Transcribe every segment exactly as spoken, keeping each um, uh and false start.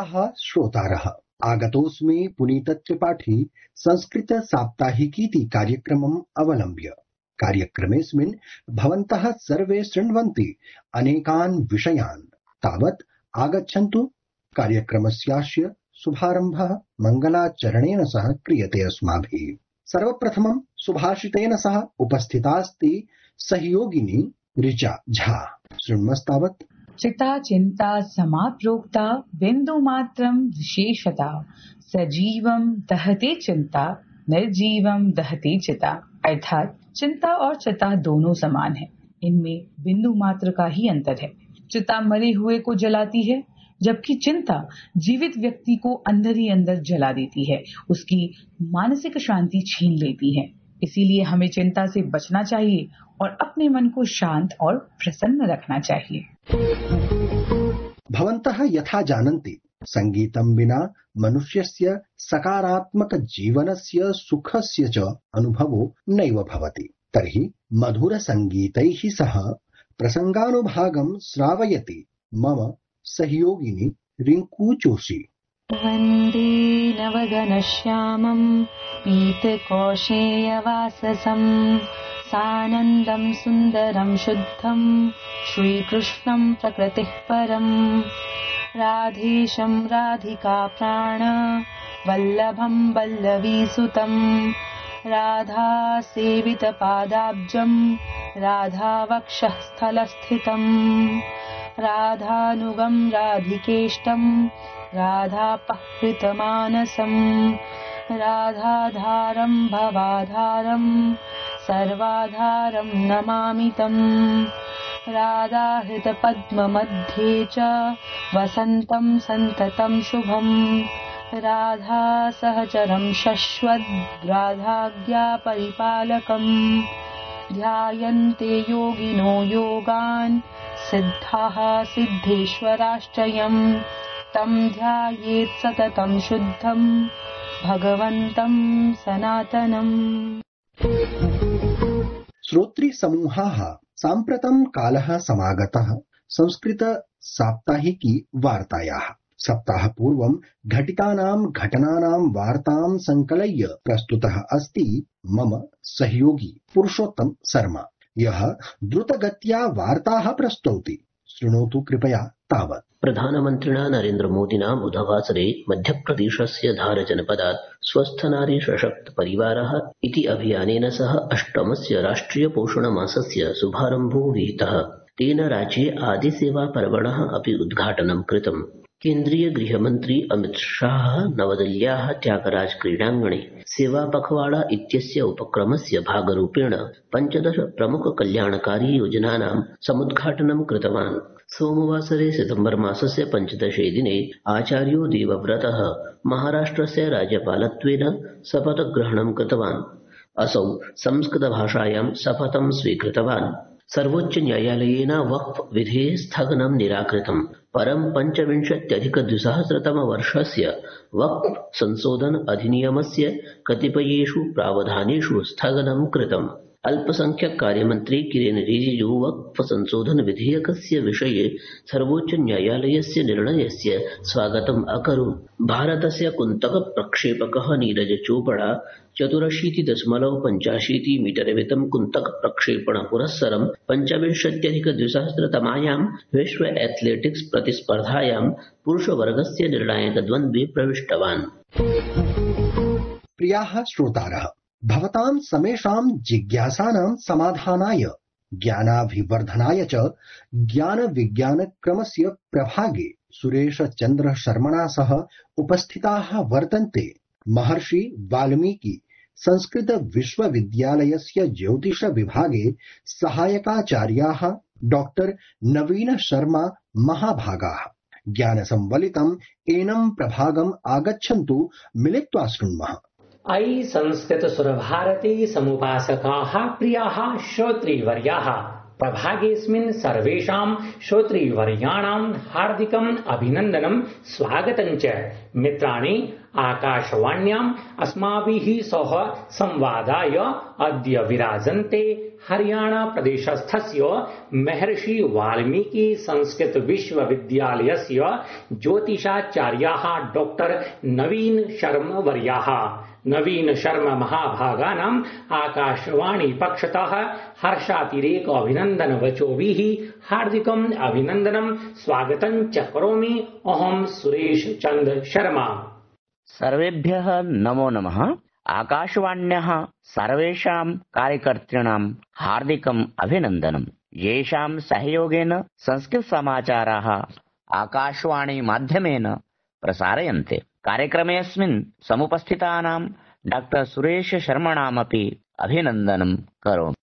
प्रियाः श्रोतारः, आगतोऽस्मि पुनीत त्रिपाठी संस्कृत साप्ताहिकीति कार्यक्रमम् अवलम्ब्य। कार्यक्रमेऽस्मिन् भवन्तः सर्वे शृण्वन्ति अनेकान् विषयान्। तावत् आगच्छन्तु कार्यक्रमस्यास्य शुभारम्भः मङ्गलाचरणेन सह क्रियते अस्माभिः। सर्वप्रथमं सुभाषितेन सह उपस्थितास्ति सहयोगिनी ऋचा झा। शृण्मस्तावत्। चिता चिंता समाप्रोक्ता बिंदुमात्रं विशेषता, सजीवं दहते चिंता निर्जीवं दहते चिता। अर्थात चिंता और चिता दोनों समान है, इनमें बिंदु मात्र का ही अंतर है। चिता मरे हुए को जलाती है, जबकि चिंता जीवित व्यक्ति को अंदर ही अंदर जला देती है, उसकी मानसिक शांति छीन लेती है। इसीलिए हमें चिंता से बचना चाहिए और अपने मन को शांत और प्रसन्न रखना चाहिए। भवन्तः यथा जानन्ति, संगीतं विना मनुष्यस्य सकारात्मक जीवनस्य सुखस्य च अनुभवो नैव भवति। तर्हि मधुर संगीतैः सह प्रसंगानुभागं श्रावयति मम सहयोगिनी रिंकू जोशी। वन्दे नवगणश्यामं पीतकौशेयवाससं, सानन्दं सुन्दरं शुद्धं श्रीकृष्णं प्रकृतिः परं, राधेशं राधिका प्राण वल्लभं वल्लवीसुतं, राधा सेवितपादाब्जं राधावक्षः स्थलस्थितं, राधानुगं राधिकेष्टं राधापहृतमानसं, राधाधारं भवाधारं सर्वाधारं नमामि तं, राधाहृतपद्ममध्ये च वसन्तं सन्ततं शुभं, राधा सहचरं शश्वद् राधाज्ञा परिपालकं, ध्यायन्ते योगिनो योगान् सिद्धाः सिद्धेश्वराश्रयं, तं ध्यायेत् सततं शुद्धं भगवन्तं सनातनम्। श्रोत्री समूहाः साम्प्रतं कालः समागतः संस्कृत साप्ताहिकी वार्तायाः। सप्ताहपूर्वं घटितानां घटनानां वार्तां संकलय्य प्रस्तुतः अस्ति मम सहयोगी पुरुषोत्तम शर्मा, यः द्रुतगत्या वार्ताः प्रस्तौति। शृणोतु कृपया तावत्। प्रधानमन्त्रिणा नरेन्द्र मोदिना बुधवासरे मध्यप्रदेशस्य धार जनपदात् स्वस्थ नारी सशक्त परिवारः इति अभियानेन सह अष्टमस्य राष्ट्रिय पोषण मासस्य शुभारम्भो विहितः। तेन राज्ये आदिसेवा पर्वणः अपि उद्घाटनं कृतम्। केन्द्रीय गृहमन्त्री अमित शाह नवदिल्ल्याः त्यागराज क्रीडाङ्गणे सेवा पखवाड़ा इत्यस्य उपक्रमस्य भागरूपेण पञ्चदश प्रमुख कल्याणकारी योजनानां समुद्घाटनं कृतवान्। सोमवासरे सितम्बर मासस्य पञ्चदशे दिने आचार्यो देवव्रतः महाराष्ट्रस्य राज्यपालत्वेन शपथग्रहणं कृतवान्। असौ संस्कृतभाषायां शपथं स्वीकृतवान्। सर्वोच्च न्यायालयेन वक्फ विधेः स्थगनं निराकृतम्। परं पञ्चविंशत्यधिकद्विसहस्रतमवर्षस्य वक्फ संशोधन अधिनियमस्य कतिपयेषु प्रावधानेषु स्थगनं कृतम्। अल्पसंख्यक कार्यमन्त्री किरेन रिजिजू वक्फ संशोधन विधेयकस्य विषये सर्वोच्च न्यायालयस्य निर्णयस्य स्वागतम् अकरोत्। भारतस्य कुन्तक प्रक्षेपकः नीरज चोपड़ा चतुरशीति दशमलव पञ्चाशीति मीटरमितं कुन्तक प्रक्षेपण पुरस्सरं पञ्चविंशत्यधिकद्विसहस्रतमायां विश्व एथलेटिक्स प्रतिस्पर्धायां पुरुषवर्गस्य निर्णायकद्वन्द्वे प्रविष्टवान्। प्रियाः श्रोतारः, भवतां समेषां जिज्ञासानां समाधानाय ज्ञानाभिवर्धनाय च ज्ञान विज्ञान क्रमस्य प्रभागे सुरेश चन्द्र शर्मणा सह उपस्थिताः वर्तन्ते महर्षि वाल्मीकि संस्कृत विश्वविद्यालयस्य ज्योतिष विभागे सहायकाचार्याः डॉक्टर नवीन शर्मा महाभागाः। ज्ञान संवलितम् एनं प्रभागम् आगच्छन्तु, मिलित्वा शृण्मः। अयि संस्कृत सुरभारती समुपासकाः प्रियाः श्रोतृवर्याः, प्रभागेऽस्मिन् सर्वेषां श्रोतृवर्याणां हार्दिकम् अभिनन्दनं स्वागतं च। मित्राणि, आकाशवाण्याम् अस्माभिः सह संवादाय अद्य विराजन्ते हरियाणा प्रदेशस्थस्य महर्षि वाल्मीकि संस्कृत विश्वविद्यालयस्य ज्योतिषाचार्याः डॉक्टर नवीन शर्मा वर्याः। नवीन शर्मा महाभागानाम् आकाशवाणी पक्षतः हर्षातिरेक अभिनन्दन वचोभिः हार्दिकम् अभिनन्दनं स्वागतं च करोमि। अहं सुरेश चन्द्र शर्मा। सर्वेभ्यः नमो नमः। आकाशवाण्याः सर्वेषां कार्यकर्तॄणां हार्दिकम् अभिनन्दनम्। येषां सहयोगेन संस्कृतसमाचाराः आकाशवाणी माध्यमेन प्रसार्यन्ते। कार्यक्रमेऽस्मिन् समुपस्थितानां डॉक्टर सुरेश शर्मणामपि अभिनन्दनं करोमि।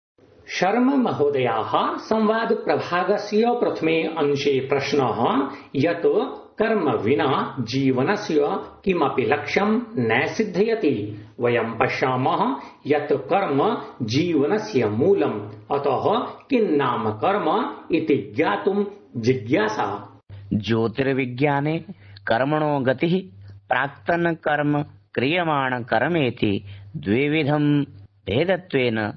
शर्मा महोदयाः संवाद प्रभागस्य प्रथमे अंशे प्रश्नः यत् कर्म विना जीवनस्य किमपि लक्ष्यं न सिद्ध्यति। वयं पश्यामः यत् कर्म जीवनस्य मूलम्, अतः किन्नाम कर्म इति ज्ञातुं जिज्ञासा। ज्योतिर्विज्ञाने कर्मणो गतिः प्राक्तन कर्म क्रियमाण कर्मेति द्विविधं भेदत्वेन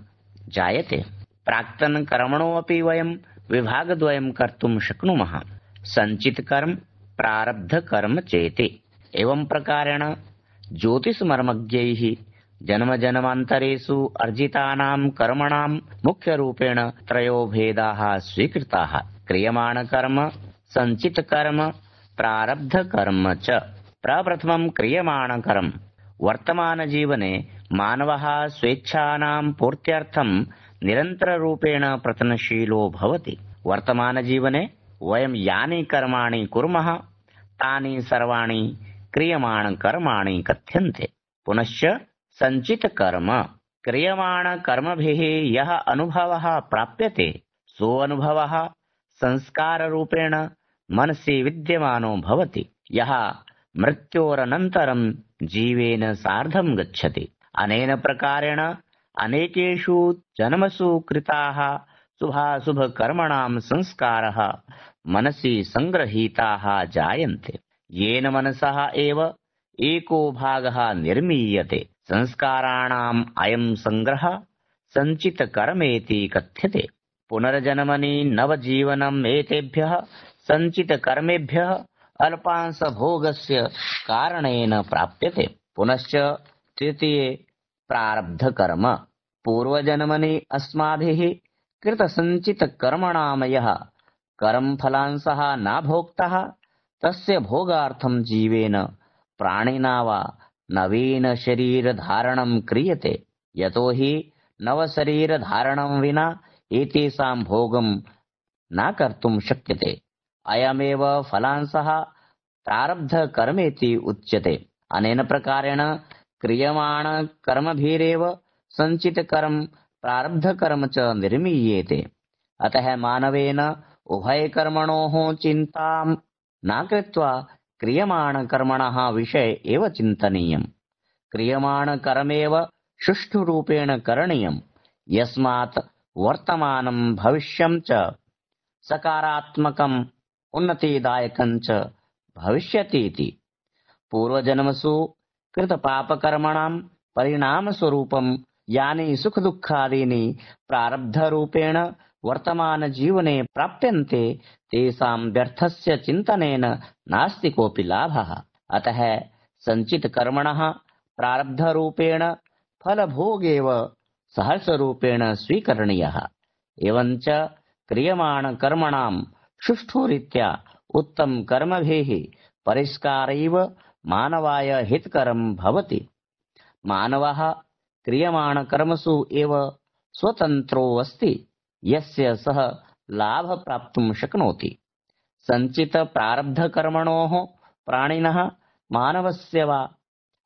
जायते। प्राक्तन कर्मणोऽपि वयं विभागद्वयं कर्तुं शक्नुमः। संचित कर्म, प्रारब्ध कर्म चेति। एवं प्रकारेण ज्योतिषमर्मज्ञैः जन्मजन्मान्तरेषु अर्जितानां कर्मणां मुख्यरूपेण त्रयो भेदाः स्वीकृताः। क्रियमाण कर्म, संचित कर्म, प्रारब्ध कर्म च। प्रप्रथमं क्रियमाण कर्म। वर्तमानजीवने मानवः स्वेच्छानां पूर्त्यर्थं निरन्तररूपेण प्रयत्नशीलो भवति। वर्तमानजीवने वयं यानि कर्माणि कुर्मः तानि सर्वाणि क्रियमाण कर्माणि कथ्यन्ते। पुनश्च संचित कर्म। क्रियमाण कर्मभिः यः अनुभवः प्राप्यते सोऽनुभवः संस्काररूपेण मनसि विद्यमानो भवति, यः मृत्योरनन्तरं जीवेन सार्धं गच्छति। अनेन प्रकारेण अनेकेषु जन्मसु कृताः शुभाशुभकर्मणां संस्कारः मनसि संगृहीताः जायन्ते, येन मनसः एव एको भागः निर्मीयते। संस्काराणाम् अयं संग्रहः संचित कर्मेति कथ्यते। पुनर्जन्मनि नवजीवनम् एतेभ्यः संचित कर्मेभ्यः अल्पांशभोगस्य कारणेन प्राप्यते। पुनश्च तृतीये प्रारब्ध कर्म। पूर्वजन्मनि अस्माभिः कृतसञ्चित कर्मणां यः कर्मफलांशः न भोक्तः तस्य भोगार्थं जीवेन प्राणिना वा नवीन शरीरधारणं क्रियते। यतो हि नवशरीरधारणं विना एतेषां भोगं न कर्तुं शक्यते। अयमेव फलांशः प्रारब्ध कर्मेति उच्यते। अनेन प्रकारेण क्रियमाण कर्मभिरेव संचित कर्म प्रारब्ध कर्म च निर्मीयेते। अतः मानवेन उभयकर्मणोः चिन्तां न कृत्वा क्रियमाण कर्मणः विषये एव चिन्तनीयम्। क्रियमाण कर्मेव सुष्ठुरूपेण करणीयम्, यस्मात् वर्तमानं भविष्यं च सकारात्मकम् उन्नतिदायकं च भविष्यतीति। पूर्वजन्मसु कृतपापकर्मणां परिणामस्वरूपं यानि सुखदुःखादीनि प्रारब्धरूपेण वर्तमानजीवने प्राप्यन्ते तेषां व्यर्थस्य चिन्तनेन नास्ति कोऽपि लाभः। अतः संचितकर्मणः प्रारब्धरूपेण फलभोगेव सहर्षरूपेण स्वीकरणीयः। एवञ्च क्रियमाणकर्मणां सुष्ठुरीत्या उत्तमकर्मभिः परिष्कारैव मानवाय हितकरं भवति। मानवः क्रियमाणकर्मसु एव स्वतन्त्रो अस्ति, यस्य सः लाभ प्राप्तुं शक्नोति। संचित प्रारब्धकर्मणोः प्राणिनः मानवस्य वा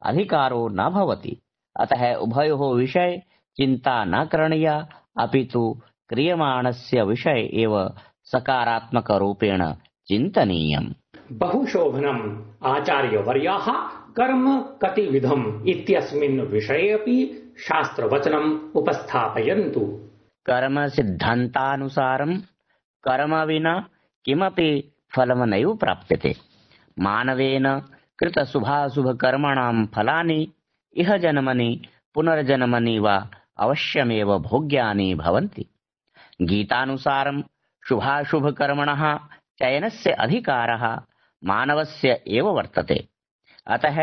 अधिकारो न भवति। अतः उभयोः विषये चिन्ता न करणीया, अपि तु क्रियमाणस्य विषये एव सकारात्मकरूपेण चिन्तनीयम्। बहुशोभनम्। आचार्यवर्याः कर्म कतिविधम् इत्यस्मिन् विषये अपि शास्त्रवचनम् उपस्थापयन्तु। कर्म सिद्धान्तानुसारं कर्म विना किमपि फलं नैव प्राप्यते। मानवेन कृतशुभाशुभकर्मणां फलानि इह जन्मनि पुनर्जन्मनि वा अवश्यमेव भोग्यानि भवन्ति। गीतानुसारं शुभाशुभकर्मणः चयनस्य अधिकारः मानवस्य एव वर्तते। अतः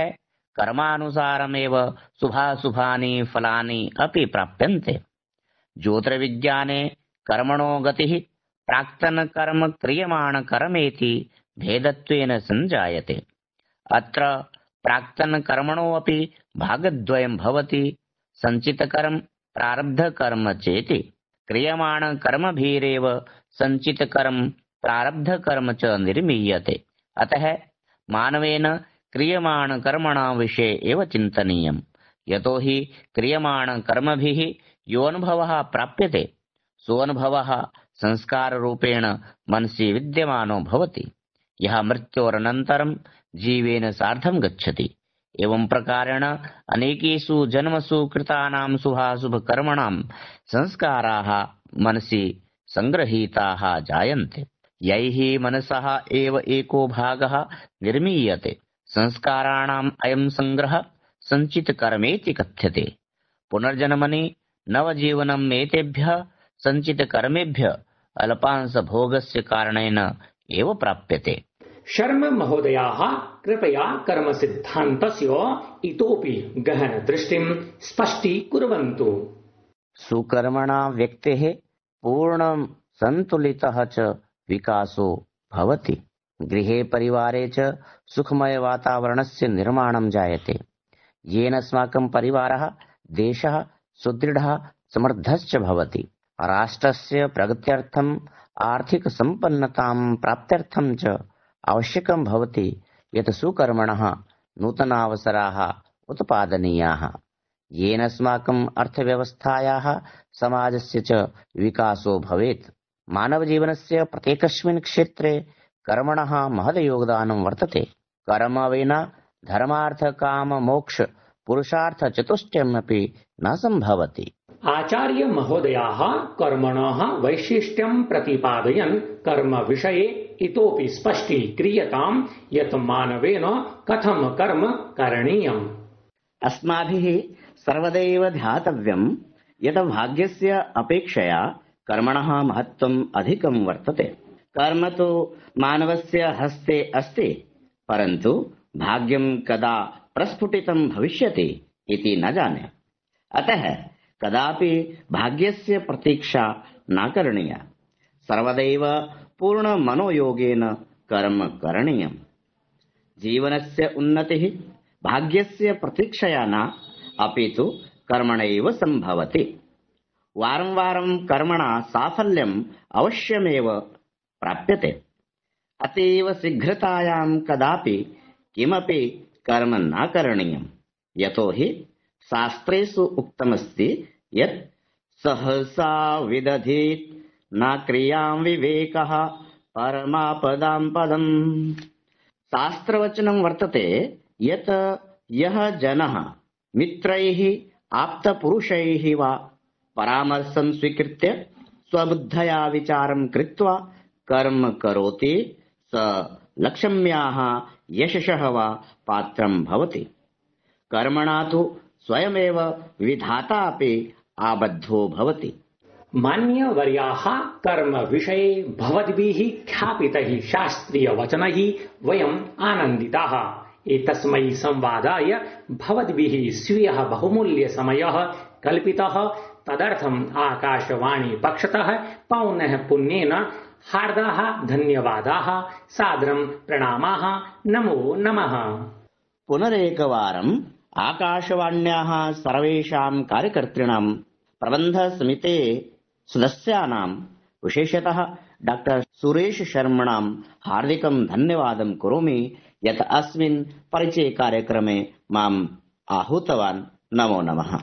कर्मानुसारमेव शुभाशुभानि फलानि अपि प्राप्यन्ते। ज्योतिर्विज्ञाने कर्मणो गतिः प्राक्तन कर्म क्रियमाण कर्मेति भेदत्वेन संजायते। अत्र प्राक्तन कर्मणो अपि भागद्वयं भवति। संचितकर्म प्रारब्धकर्म चेति। क्रियमाण कर्मभिरेव संचितकर्म प्रारब्धकर्म च निर्मीयते। अतः मानवेन क्रियमाण कर्मणां विषये एव चिन्तनीयम्। यतो हि क्रियमाण कर्मभिः यो अनुभवः प्राप्यते सोऽनुभवः संस्काररूपेण मनसि विद्यमानो भवति, यः मृत्योरनन्तरं जीवेन सार्धं गच्छति। एवं प्रकारेण अनेकेषु जन्मसु कृतानां शुभाशुभकर्मणां संस्काराः मनसि संगृहीताः जायन्ते। यैः मनसः एव एको भागः निर्मीयते। संस्काराणाम् अयं संग्रहः संचितकर्मेति कथ्यते। पुनर्जन्मनि नवजीवनम् एतेभ्यः संचितकर्मेभ्यः अल्पांशभोगस्य कारणेन एव प्राप्यते। शर्म महोदयाः कृपया कर्म सिद्धान्तस्य इतोपि गहन दृष्टिं स्पष्टीकुर्वन्तु। सुकर्मणा व्यक्तेः पूर्णं सन्तुलितः च विकासो भवति। गृहे परिवारे च सुखमय वातावरणस्य निर्माणं जायते, येन अस्माकं परिवारः देशः सुदृढः समृद्धश्च भवति। राष्ट्रस्य प्रगत्यर्थम् आर्थिक सम्पन्नतां प्राप्त्यर्थं च आवश्यकं भवति यत् सुकर्मणः नूतनावसराः उत्पादनीयाः, येन अस्माकम् अर्थव्यवस्थायाः समाजस्य च विकासो भवेत्। मानवजीवनस्य प्रत्येकस्मिन् क्षेत्रे कर्मणः महद योगदानं वर्तते। कर्म विना धर्मार्थ काम मोक्ष पुरुषार्थ चतुष्टयमपि न सम्भवति। आचार्य महोदयाः कर्मणः वैशिष्ट्यं प्रतिपादयन् कर्म विषये इतोपि स्पष्टीक्रियतां यत् मानवेन कथं कर्म करणीयम्। अस्माभिः सर्वदैव ध्यातव्यं यत् भाग्यस्य अपेक्षया कर्मणः महत्त्वम् अधिकं वर्तते। कर्म तु मानवस्य हस्ते अस्ति, परन्तु भाग्यं कदा प्रस्फुटितं भविष्यति इति न जाने। अतः कदापि भाग्यस्य प्रतीक्षा न करणीया। सर्वदैव पूर्ण मनोयोगेन कर्म करणीयम्। जीवनस्य उन्नतिः भाग्यस्य प्रतीक्षया न, अपि तु कर्मणैव सम्भवति। वारं वारं कर्मणा साफल्यम् अवश्यमेव प्राप्यते। अतीव शीघ्रतायां कदापि किमपि कर्म न करणीयम्। यतो हि शास्त्रेषु उक्तमस्ति यत् सहसा विदधीत् न क्रियां विवेकः परमापदां पदम्। शास्त्रवचनं वर्तते यत् यः जनः मित्रैः आप्तपुरुषैः वा परामर्शं स्वीकृत्य स्वबुद्धया विचारं कृत्वा कर्म करोति स लक्ष्म्याः यशसः वा पात्रं भवति। कर्मणा तु स्वयमेव विधाता अपि आबद्धो भवति। मान्यवर्याः कर्म विषये भवद्भिः ख्यापितैः शास्त्रीयवचनैः वयम् आनन्दिताः। एतस्मै संवादाय भवद्भिः स्वीयः बहुमूल्यसमयः कल्पितः। तदर्थम् आकाशवाणी पक्षतः पौनः पुन्येन हार्दाः धन्यवादाः, सादरं प्रणामाः, नमो नमः। पुनरेकवारम् आकाशवाण्याः सर्वेषां कार्यकर्तॄणां प्रबन्धसमिते सदस्यानां विशेषतः डॉक्टर सुरेश शर्मणां हार्दिकं धन्यवादं करोमि यत् अस्मिन् परिचय कार्यक्रमे माम् आहूतवान्। नमो नमः।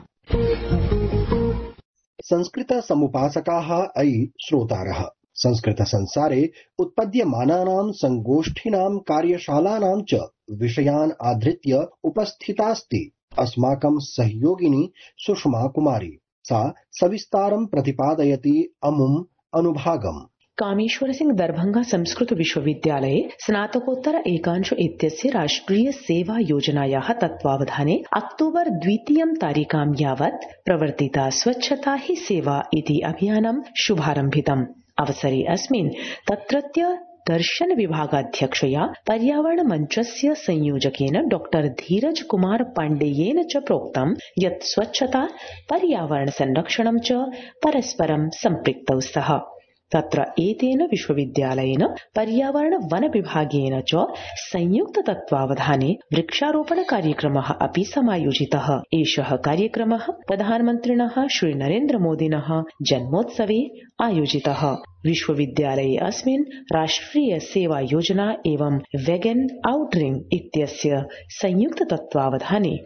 संस्कृत समुपासकाः अयि श्रोतारः, संस्कृत संसारे उत्पद्यमानानां संगोष्ठीनां कार्यशालानां च विषयान् आधृत्य उपस्थितास्ति अस्माकं सहयोगिनी सुषमा कुमारी। सा सविस्तारं प्रतिपादयति अमुम् अनुभागम्। कामेश्वर सिंह दरभंगा संस्कृत विश्वविद्यालये स्नातकोत्तर एकांश इत्यस्य राष्ट्रिय सेवा योजनायाः तत्त्वावधाने अक्टोबर द्वितीयं तारिकां यावत् प्रवर्तिता स्वच्छता ही सेवा इति अभियानं शुभारम्भितम्। अवसरे अस्मिन् तत्रत्य दर्शन विभागाध्यक्षया पर्यावरण मंचस्य संयोजकेन डॉक्टर धीरज कुमार पाण्डेयेन च प्रोक्तं यत् स्वच्छता पर्यावरण संरक्षणं च परस्परं सम्पृक्तौ स्तः। तत्र एतेन विश्वविद्यालयेन पर्यावरण वन विभागेन च संयुक्त तत्त्वावधाने वृक्षारोपण कार्यक्रमः अपि समायोजितः। एषः कार्यक्रमः प्रधानमन्त्रिणः श्री नरेन्द्र मोदिनः जन्मोत्सवे आयोजितः। विश्वविद्यालये अस्मिन् राष्ट्रिय सेवा योजना एवं वेगन आउटरिंग इत्यस्य संयुक्त तत्त्वावधाने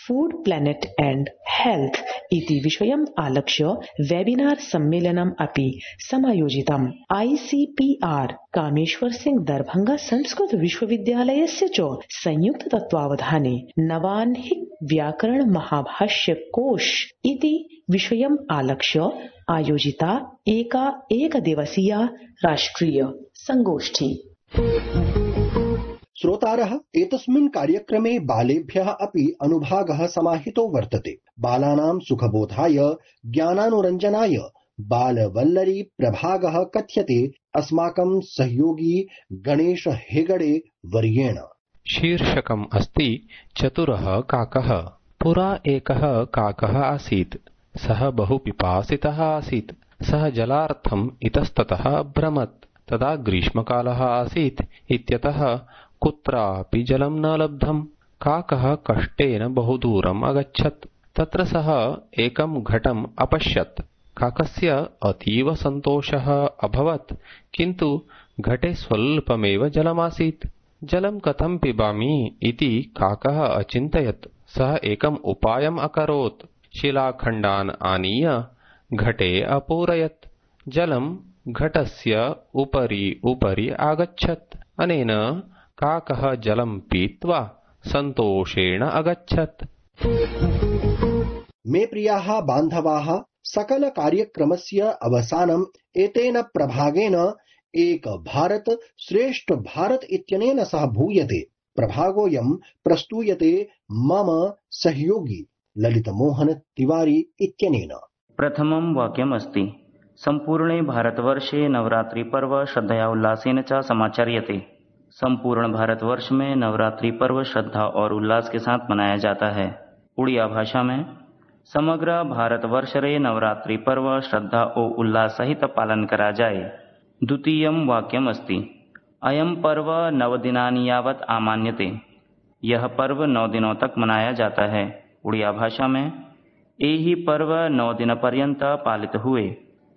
फूड प्लैनेट एंड हेल्थ इति विषयम् आलक्ष्य वेबिनार सम्मेलनम् अपि समायोजितम्। आईसीपीआर कामेश्वर सिंह दरभंगा संस्कृत विश्वविद्यालयस्य च संयुक्त तत्त्वावधाने नवाह्निक व्याकरण महाभाष्य कोश इति विषयम् आलक्ष्य आयोजिता एका एकदिवसीया राष्ट्रिय संगोष्ठी। श्रोतारः एतस्मिन् कार्यक्रमे बालेभ्यः अपि अनुभागः समाहितो वर्तते। बालानां सुखबोधाय ज्ञानानुरञ्जनाय बालवल्लरी प्रभागः कथ्यते अस्माकं सहयोगी गणेश हेगड़े वर्येण। शीर्षकम् अस्ति चतुरः काकः। पुरा एकः काकः आसीत्। सः बहु पिपासितः आसीत्। सः जलार्थम् इतस्ततः अभ्रमत्। तदा ग्रीष्मकालः आसीत् इत्यतः कुत्रापि जलं न लब्धम्। काकः कष्टेन बहु दूरम् अगच्छत्। तत्र सः एकं घटम् अपश्यत्। काकस्य अतीव सन्तोषः अभवत्, किन्तु घटे स्वल्पमेव जलमासीत्। जलं कथं पिबामि इति काकः अचिन्तयत्। सः एकम् उपायम् अकरोत्। शिलाखण्डान् आनीय घटे अपूरयत्। जलं घटस्य उपरि उपरि आगच्छत्। अनेन काकः जलं पीत्वा सन्तोषेण अगच्छत्। मे प्रियाः बान्धवाः, सकल कार्यक्रमस्य अवसानम् एतेन प्रभागेन एक भारत श्रेष्ठ भारत इत्यनेन सह भूयते। प्रभागोऽयं प्रस्तूयते मम सहयोगी ललितमोहन तिवारी इत्यनेन। प्रथमं वाक्यम् अस्ति सम्पूर्णे भारतवर्षे नवरात्रि पर्व श्रद्धया उल्लासेन च समाचर्यते। संपूर्ण भारतवर्ष में नवरात्रि पर्व श्रद्धा और उल्लास के साथ मनाया जाता है। उड़िया भाषा में समग्र भारतवर्ष रे नवरात्रि पर्व श्रद्धा और उल्लास सहित पालन करा जाए। द्वितीयं वाक्यम् अस्ति अयं पर्व नवदिनानि यावत् आमान्यते। यह पर्व नौ दिनों तक मनाया जाता है। उड़िया भाषा में एहि पर्व नौ दिन पर्यंत पालित हुए।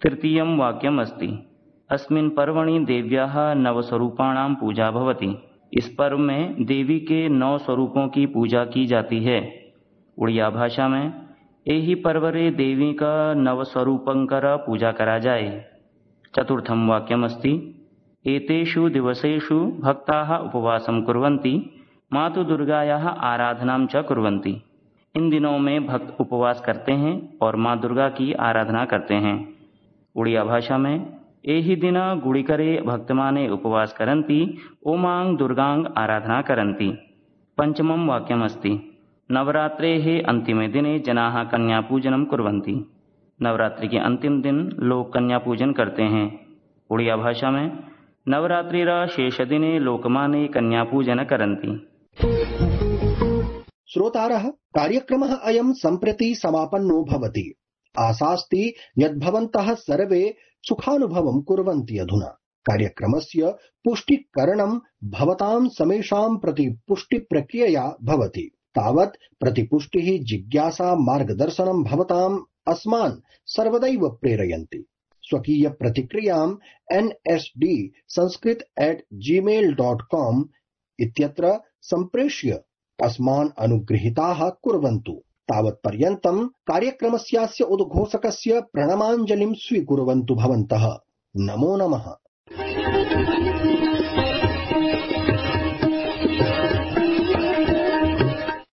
तृतीयं वाक्यम् अस्ति अस्मिन् पर्वणि देव्याः नव स्वरूपाणां पूजा भवति। इस पर्व में देवी के नौ स्वरूपों की पूजा की जाती है। उड़िया भाषा में एहि पर्वरे देवी का नव स्वरूपंकर पूजा करा जाए। चतुर्थं वाक्यम् अस्ति एतेषु दिवसेषु भक्ताः उपवासं कुर्वन्ति, मातु दुर्गायाः आराधनां च कुर्वन्ति। इन दिनों में भक्त उपवास करते हैं और माँ दुर्गा की आराधना करते हैं। उड़िया भाषा में एहि दिन गुडिकरे भक्तमाने उपवास करन्ति, ओमां दुर्गां आराधना करन्ति। पंचमं वाक्यम् अस्ति नवरात्रेः अन्तिमे दिने जनाः कन्या पूजनं कुर्वन्ति। नवरात्रि के अंतिम दिन लोग कन्या पूजन करते हैं। उड़िया भाषा में नवरात्रिर शेष दिने लोकमाने कन्या पूजन करन्ति। श्रोतारः, कार्यक्रमः अयं सम्प्रति समापन्नो भवति। आशास्ति यत् भवन्तः सर्वे सुखानुभवं कुर्वन्ति। अधुना कार्यक्रमस्य पुष्टिकरणं भवतां समेषां प्रति पुष्टिप्रक्रियया भवति। तावत् प्रतिपुष्टिः जिज्ञासा मार्गदर्शनं भवताम् अस्मान् सर्वदैव प्रेरयन्ति। स्वकीय प्रतिक्रियां N S D Sanskrit at Gmail dot com इत्यत्र सम्प्रेष्य अस्मान् अनुगृहीताः कुर्वन्तु। तावत्पर्यन्तं कार्यक्रमस्यास्य उद्घोषकस्य प्रणमाञ्जलिं स्वीकुर्वन्तु भवन्तः। नमो नमः।